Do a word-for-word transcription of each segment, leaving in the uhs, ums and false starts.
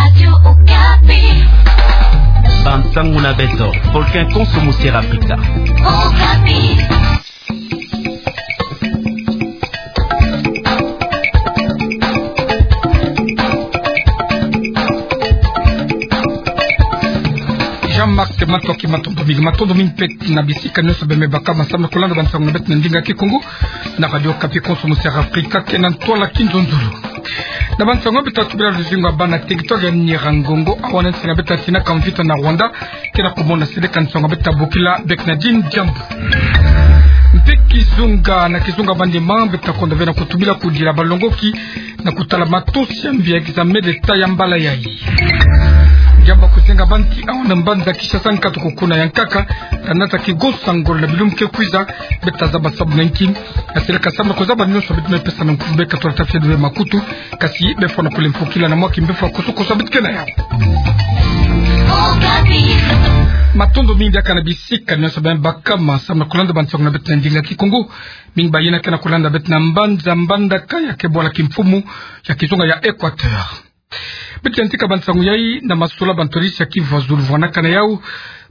Radio Okapi. Bansangu na beto, volcan konso mu Serre Africa. Okapi. Jean-Marc Matoki, matondo mingi, matondo mingi mpe na bisika nyonso beno me baka ma samu na kulanda bansangu na beto na ndinga Kikongo na Radio Okapi konso mu Serre Africa, ke na ntwala kinzonzolo. Na bansangu beto ta tubila luzingu ya bana territoire ya Nyiragongo, awa na nsi na beto ta tinaka mvita na Rwanda, ke na kumona seleka nsangu beto ta bokila Bernardine Diambu. Mpe kizunga, na kizunga ya manima beto ta konda ve na kutubila kudila balongoki na kutala matosi ya mbi ya examen d'État ya mbala yayi. Diambu ya kuzenga banti awa na mbanza Kinshasa, nkatu ko kuna ya nkaka, ta nata kigonsa ngolo na bilumbu ke kwiza. Beto ta zaba sababu na nki? Na seleka sababu na kuzaba nyonso, beto me pesa na nkufu beka twala ta fia duwe makutu, kasi beno fwana kule mfukila na mwa kimbevo ya kosokoso beto ke na yau. Matondo mingi diaka na bisika nyonso beno me baka ma samu na kulanda bansangu na beto na ndinga Kikongo. Mingi bayina ke na kulanda beto na mbanza Mbandaka ya ke bwala kimfumu ya kizunga ya Équateur. Beto yantika bansangu yayi na masolo ya bantwadisi ya kivu ya zulu vwanaka na yau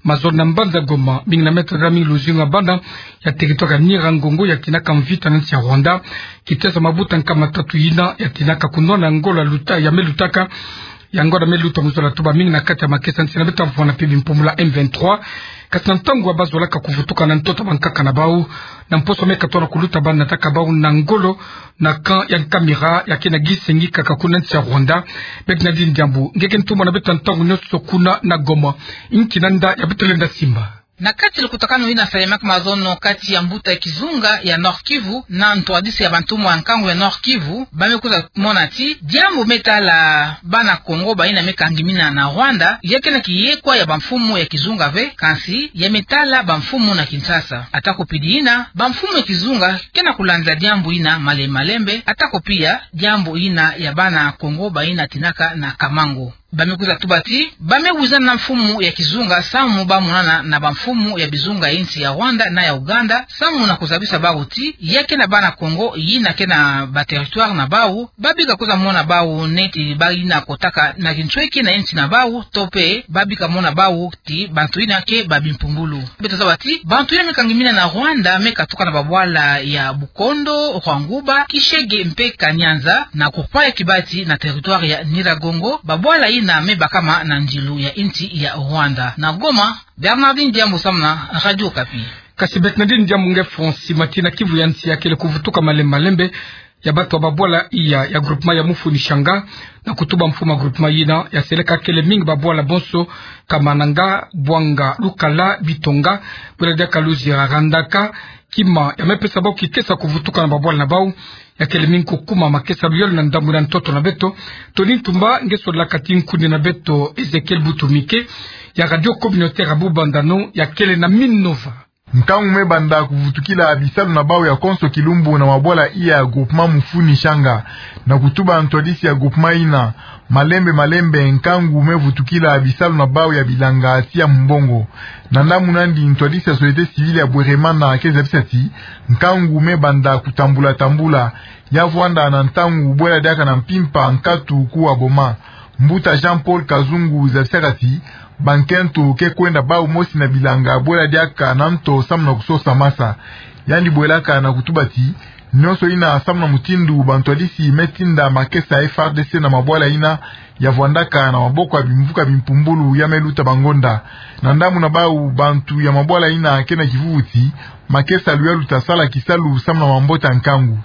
mazono na mbanza Goma, mingi na me tadila mingi luzingu ya bana ya territoire ya Nyiragongo ya tinaka mvita na nsi ya Rwanda, kiteso mabuta nkama tatu yina ya tinaka kunwana ngolo ya luta, ya me lutaka, ya ngolo ya me luta mu zola tuba mingi na kati ya makesa nsi na beto ta vwanda mpe bimpumbulu ya M vingt-trois, kasi na ntangu ya bazolaka kuvutuka na ntoto ya bankaka na bau, na mposo me katono kuluta, banataka bau na ngolo na camp ya Nkamira ya ke na gisengi kaka kuna nsi ya Rwanda. Bernardine Diambu, nge ke ntumwa na beto ntangu nyonso kuna na Goma, nki nanda ya beto lenda simba? Na kati ya lukutakanu yina salemaka mazono kati ya mbuta ya kizunga ya Nord-Kivu na ntwadisi ya bantumwa ya nkangu ya Nord-Kivu, ba me kwiza mona ti diambu me tala bana Kongo bayina me kangimina na Rwanda, ya ke na kiyekwa ya bamfumu ya kizunga ve, kansi ya me tala bamfumu na Kinshasa. Ata ko pidi yina, bamfumu ya kizunga ke na kulandila diambu yina malembe malembe, ata ko pia diambu yina ya bana Kongo bayina tinaka na Kamango. Ba me kwiza tuba ti ba me wizana na mfumu ya kizunga samu ba monana na bamfumu ya bizunga ya nsi ya Rwanda na ya Uganda, samu na kuzabisa bau ti ya ke na bana Kongo yina ke na ba territoire na bau, ba bika kwiza mona bau neti bayina kotaka na kinsweki na nsi na bau, to mpe ba bika mona bau ti bantu yina ke ba bimpumbulu. Beto zaba ti bantu yina me kangimina na Rwanda me katuka na babwala ya Bukondo, Rwanguba, Kishege mpe Kanyanza, na groupement ya Kibati na territoire ya Nyiragongo, babwala yina me bakama na nzilu ya nsi ya Rwanda. Na Goma, Bernardine Diambu samu na Radio Okapi. Kasi Bernardine Diambu, nge fwa nsi mati na kivu ya nsi ya kele kuvutuka malembe malembe ya bato ya babwala iya ya groupement ya Mufuni Shanga, na kutuba mfumu ya groupement yina ya seleka kele mingi babwala bonso, Kamananga, Bwanga, Lukala, Bitonga, bwela diaka Luzira, Randaka, kima ya me pesa bau kikesa kuvutuka na babwala na bau, ya kele mingi kukuma makesa luyolo na ndambu na ntoto na beto. Tony Ntumba, nge sola kati nkundi na beto Ezekiel Butumike ya Radio Communautaire ya Bubandano ya kele na Minova. Nkangu me banda kuvutukila bisalu na bau ya konso kilumbu na mabwala iya ya groupement Mufuni Shanga, na kutuba ntwadisi ya groupement yina. Malembe malembe nkangu me vutukila bisalu na bau ya bilanga tii ya mumbongo. Na ndambu nandi ntwadisi ya société civile ya Bweremana ke zabisa ti nkangu me banda kutambula tambula, ya vwanda na ntangu bwela diaka na mpimpa nkatu kuwa boma. Mbuta Jean-Paul Kazungu zabisaka ti bankento ke kwenda bau mosi na bilanga bwela diaka na nto samu na kusosa masa. Yandi bwelaka na kutuba ti nyonso yina samu na mutindu bantwadisi me tinda makesa ya F A R D C na mabwala yina ya vwandaka na maboko ya bimvuka bimpumbulu ya me luta bangonda. Na ndambu na bau, bantu ya mabwala yina ke na kivuvu ti makesa luyalu ta sala kisalu samu na mabota nkangu.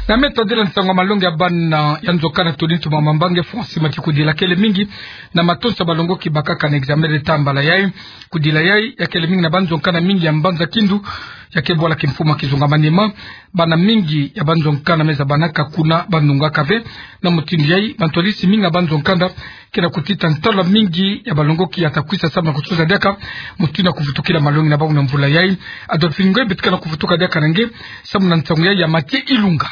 Na me tadila nsangu ya malongi ya bana ya nzokana Tony Ntumba Mamba, nge fwa nsi mati kudila kele mingi na matonsa balongoki bakaka na examen d'État mbala yayi. Kudila yayi ya kele mingi na banzokana mingi ya mbanza Kindu ya ke bwala kimfumu ya kizunga Maniema. Bana mingi ya banzokana me zabanaka kuna, banungaka ve. Na mutindu yayi, bantwadisi mingi ya banzokana ke na kutita ntalwa mingi ya balongoki ya ta kwisa samu na kutuza diaka mutindu ya kuvutukila malongi na bau na mvula yayi. Adolphine Ngoy, beto ke na kuvutuka diaka na nge samu na nsangu yayi ya Mathieu Ilunga.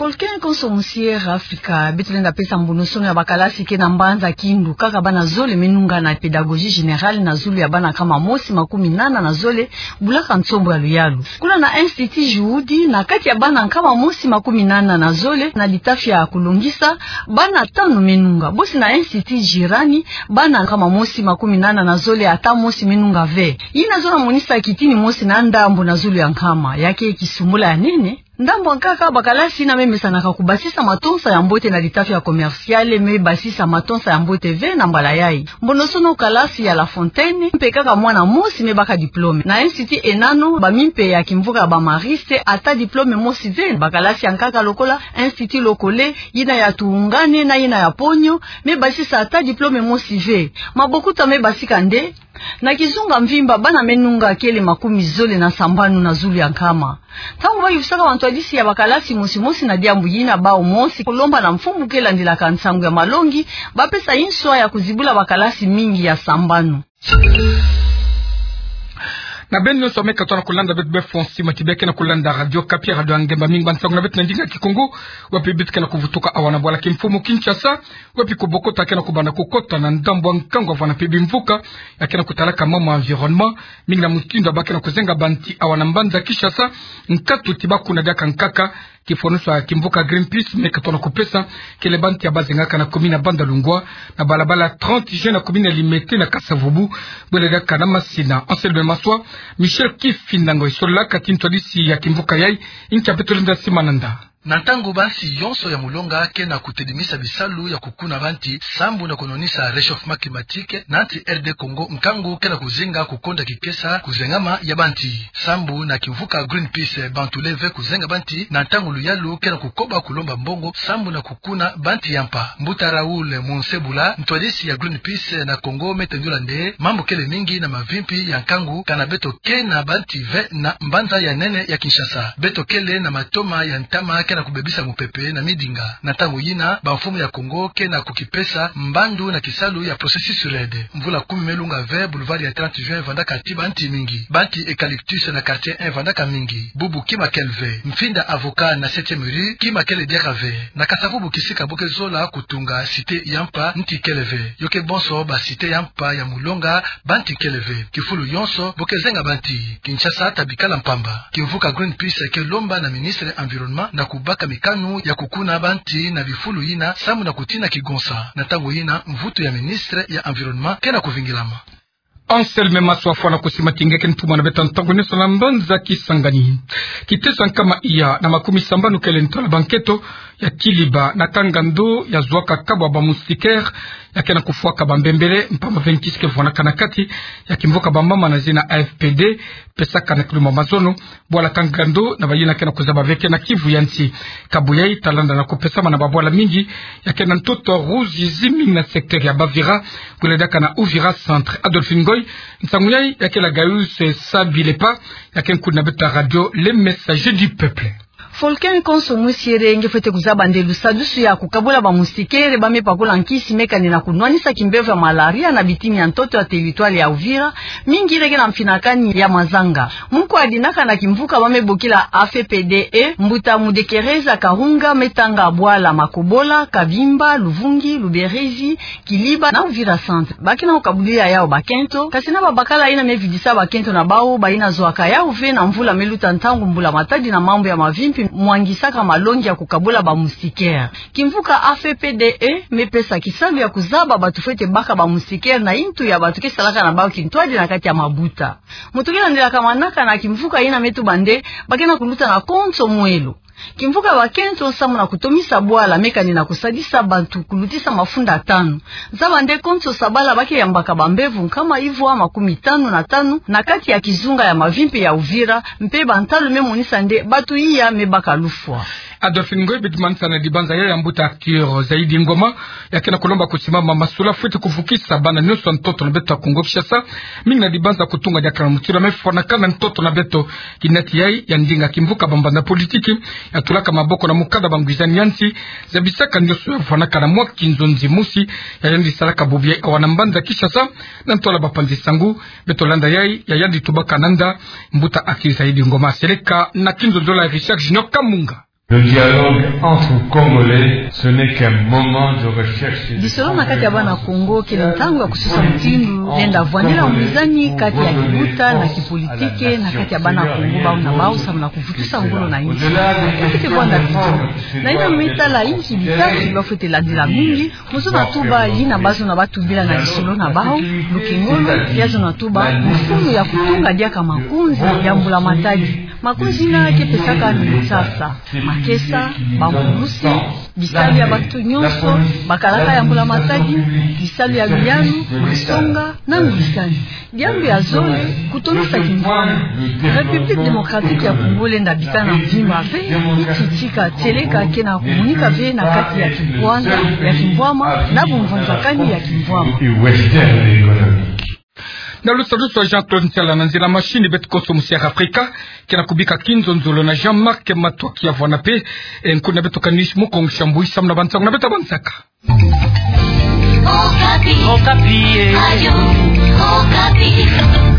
Volcan konso musi Air Africa, beto lenda pesa mbonosono ya bakalasi ke na mbanza Kindu, kaka bana zole me nunga na pédagogie générale na zulu ya bana nkama mosi makumi nana na zole, bulaka nsombo ya luyalu. Kuna na Institut Juhudi, na kati ya bana nkama mosi makumi nana na zole na litafi ya kulongisa, bana tanu me nunga. Bosi na Institut Jirani, bana nkama mosi makumi nana na zole ata mosi me nunga ve. Yina zo na monisa kitini mosi na ndambo na zulu ya nkama, ya ke kisumbula ya nene. Ndambo ya nkaka, bakalasi yina me mesanaka kubasisa matonsa ya mbote na litafi ya commerciale me basisa matonsa ya mbote ve na mbala yayi. Mbonosono kalasi ya La Fontaine, mpe kaka mwana mosi me baka diplôme. Na Institut Enano, bamimpe ya kimvuka ya ba Mariste, ata diplôme mosi ve. Bakalasi ya nkaka lokola Institut Lokole, yina ya Tuungane na yina ya Ponyo, me basisa ata diplôme mosi ve. Mabokuta me basika nde, na kizunga mvimba, bana me nunga kele makumi zole na sambanu na zulu ya nkama. Ntangu bayufisaka bantwadisi ya bakalasi mosi mosi na diambu yina, bawu mosi kulomba na mfumu ke landilaka nsangu ya malongi, bapesa inswa ya kuzibula bakalasi mingi ya sambanu. Na beno nyonso me katoa na kulanda beto befo nsi mati bia ke na kulanda Radio Okapi, radio ya ngemba mingi bansangu na beto na ndinga Kikongo, wapi beto ke na kuvutuka awa na bwala kimfumu Kinshasa, wapi kubokota ke na kubanda kukota na ndambo ya nkangu, avwanda mpe bimvuka ya ke na kutalaka mambu ya environnement, mingi na mutindu ya ba ke na kuzenga banti awa na mbanza Kinshasa, nkatu ti ba kuna diaka nkaka, kifwanusu ya kimvuka Greenpeace me katoa na kupesa, kele banti ya bazengaka na commune ya Bandalungwa, na balabala trente juin na commune ya Limete na Kasa-Vubu, bwele diaka na masina. Anselme Maswa, Michel Kifinda Ngoi, sololaka ti ntwadisi ya kimvuka yayi, inkia beto lenda sima nanda. Na ntangu bansi yonso ya mulonga ke na kutedimisa bisalu ya kukuna banti sambu na kunwanisa réchauffement climatique, na nsi R D Congo nkangu ke na kuzinga kukonda kikesa kuzengama ya banti. Sambu na kimvuka Greenpeace, bantu leve kuzenga banti na ntangu luyalu ke na kukoba kulomba mbongo sambu na kukuna banti ya mpa. Mbuta Raoul Monsebula, ntwadisi ya Greenpeace na Congo, me tendula nde mambu kele mingi na mavimpi ya nkangu, kana beto ke na banti ve na mbanza ya nene ya Kinshasa. Beto kele na matoma ya ntama ke na kubebisa mupepe na midinga. Na ntangu yina, bamfumu ya Congo ke na kukipesa mbandu na kisalu ya processus REDD. Mvula kumi me lunga ve, boulevard ya trente juin vandaka ti banti mingi. Banti eucalyptus na quartier un vandaka mingi. Bubu kima kele ve. Mfinda avocat na septième rue, kima kele diaka ve. Na Kasa-Vubu, kisika bo ke zola kutunga cité ya mpa, nti kele ve. Yo ke bonso ba cité ya mpa ya mulonga, banti kele ve. Kifulu yonso bo ke zenga banti. Kinshasa ta bikala mpamba. Kimvuka Greenpeace ke lomba na ministre environnement na kubaka mikanu ya kukuna banti na bifulu yina sambu na kutina kigonsa. Na ntangu yina, mvutu ya ministre ya environnement ke na kuvingilama. Anselme Maswa, fwana ku sima ti nge ke ntumwa na beto ntangu nyonso na mbanza Kisangani. Kiteso ya nkama iya na makumi sambanu kele ntola banketo ya Kiliba na kangando ya zwaka kabu ya ba moustiquaire ya ke na kufwaka bambembele mpamba ve nkisi ke vwanaka na kati ya kimvuka bamama na zina A F P D, pesaka na kilumbu ya mazono, bwala kangando na bayina ke na kuzaba ve ke na kivu ya nsi. Kabu yayi ta landa na kupesama na babwala mingi ya ke na ntoto Rouge Zimi na secteur ya Bavira, kule diaka na Uvira Centre. Adolphine Ngoy, nsangu yayi ya ke la Gaius Sabilepa, ya ke nkuni na beto radio Le Messager du Peuple. Volcan konso musi Ere nge fwete kuzaba nde lusadusu ya kukabula ba moustiquaire ba me pakula nkisi me kani na kunwanisa kimbevo ya malaria na bitini ya ntoto ya territoire ya Uvira, mingi leke na mfinakani ya mazanga. Muku adinaka na kimvuka ba me bokila A F P D E, mbuta Mudekereza Kahunga, me tanga bwala Makobola, Kabimba, Luvungi, Luberizi, Kiliba na Uvira Centre. Ba ke na kukabulila yawu bakento, kasi na babakala yina me vidisa bakento na bawu, bayina zwaka yawu ve na mvula me luta, ntangu mbula matadi na mambu ya mavimpi mwangisaka malongi ya kukabula ba moustiquaire. Kimvuka A F P D E me pesa kisalu ya kuzaba bantu fwete baka ba moustiquaire na yintu ya bantu ke salaka na bawu kintwadi na kati ya mabuta. Muntu ke landelaka manaka na kimvuka yina me tuba nde ba ke na kuluta na konso mwelo. Kimvuka bakento samu na kutomisa bwala me kani na kusadisa bantu kulutisa mafunda tanu. Zaba nde konso sabala ba ke yambaka bambevo nkama ivwa makumi tanu na tanu na kati ya kizunga ya mavimpi ya Uvira, mpe bantalu me monisa nde bantu iya me baka lufwa. Adolphine Ngoy, beti manisa na dibanza ya ya mbuta acteur Zaidi Ngoma, ya ke na kulomba kusimama masula fwete kuvukisa bana nyonso ya ntoto na beto ya Kongo Kinshasa, mingi na dibanza kutunga diaka na mutindu ya me fwanakana ntoto na beto. Kinati yayi ya ndinga kimvuka bambanza politiki ya tulaka maboko na mukanda bangwizani ya nsi, zabisaka nyonso ya fwanakana mwa kinzonzi mosi ya yandi salaka bubu yayi awa na mbanza Kinshasa, na ntola bapanzi sangu. Beto landa yayi ya yandi tubaka nanda, mbuta acteur Zaidi Ngoma seleka na kinzonzolo ya Richard Junior Kamunga. Le dialogue entre Congolais, ce n'est qu'un moment de recherche et de... Lisolo na kati ya bana Kongo kele ntangu ya kususa mutindu lenda vwanela mwizani kati ya kibuta na kipolitike na kati ya bana Kongo bau na bau, samu na kuvutisa ngolo na insi. Kete kwanda kitu. Na ina mitala insi bitatu bafwete landila mingi, mosi na tuba yina bazo na batubila na lisolo na bau, lukengolo, ya zo na tuba mfunu ya kutunga diaka makonzi ya mbula matadi. Makonzi yina ke pesaka ni msasa, makesa, bambusi, bisalu ya bato nyonso, bakalaka ya mbula matadi, bisalu ya luyalu, masonga, na ngwisani. Diambu ya zole, kutondisa kimvwama. République démocratique ya Congo lenda bika na mvimba ve, iti tika tieleka ke na kumunika ve na kati ya kibwanda ya kimvwama na bumvwanzakani ya kimvwama. Na lusadusu Jean-Claude Nsala, na nzila machine beto konso musi ya Afrika, ke na kubika kinzonzolo na Jean-Marc Matoki ya vwanda pe, e, nkuna beto Kanish Mukongo Shambui samu na bansangu na beto bansaka. Okapi. Okapi, e. Radio Okapi.